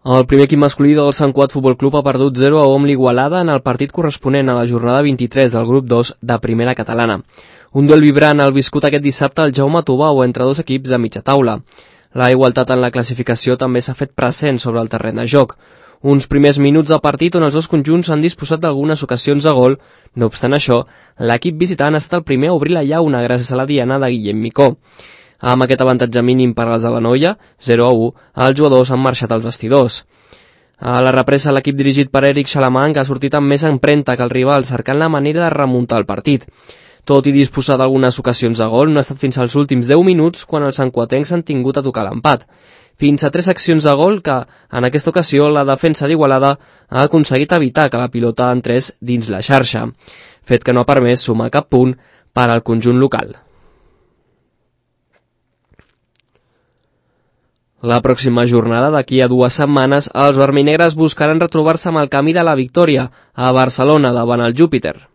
El primer equip masculí del Sant Cugat Futbol Club ha perdut 0-1 amb l'Igualada en el partit corresponent a la jornada 23 del grup 2 de Primera Catalana. Un duel vibrant el viscut aquest dissabte al Jaume Tubau entre dos equips de mitja taula. La igualtat en la classificació també s'ha fet present sobre el terreny de joc. Uns primers minuts de partit on els dos conjunts han disposat d'algunes ocasions de gol. No obstant això, l'equip visitant ha estat el primer a obrir la llauna gràcies a la diana de Guillem Micó. Amb aquest avantatge mínim per als de la Noia, 0-1, els jugadors han marxat als vestidors. A la represa, l'equip dirigit per Eric Xalamanc ha sortit amb més empremta que el rival, cercant la manera de remuntar el partit. Tot i disposar d'algunes ocasions de gol, no ha estat fins als últims 10 minuts quan els santcuatencs han tingut a tocar l'empat. Fins a 3 accions de gol que, en aquesta ocasió, la defensa d'Igualada ha aconseguit evitar que la pilota entrés dins la xarxa, fet que no ha permès sumar cap punt per al conjunt local. La pròxima jornada, d'aquí a 2 setmanes, els vermells buscaran retrobar-se amb el camí de la victòria a Barcelona davant el Júpiter.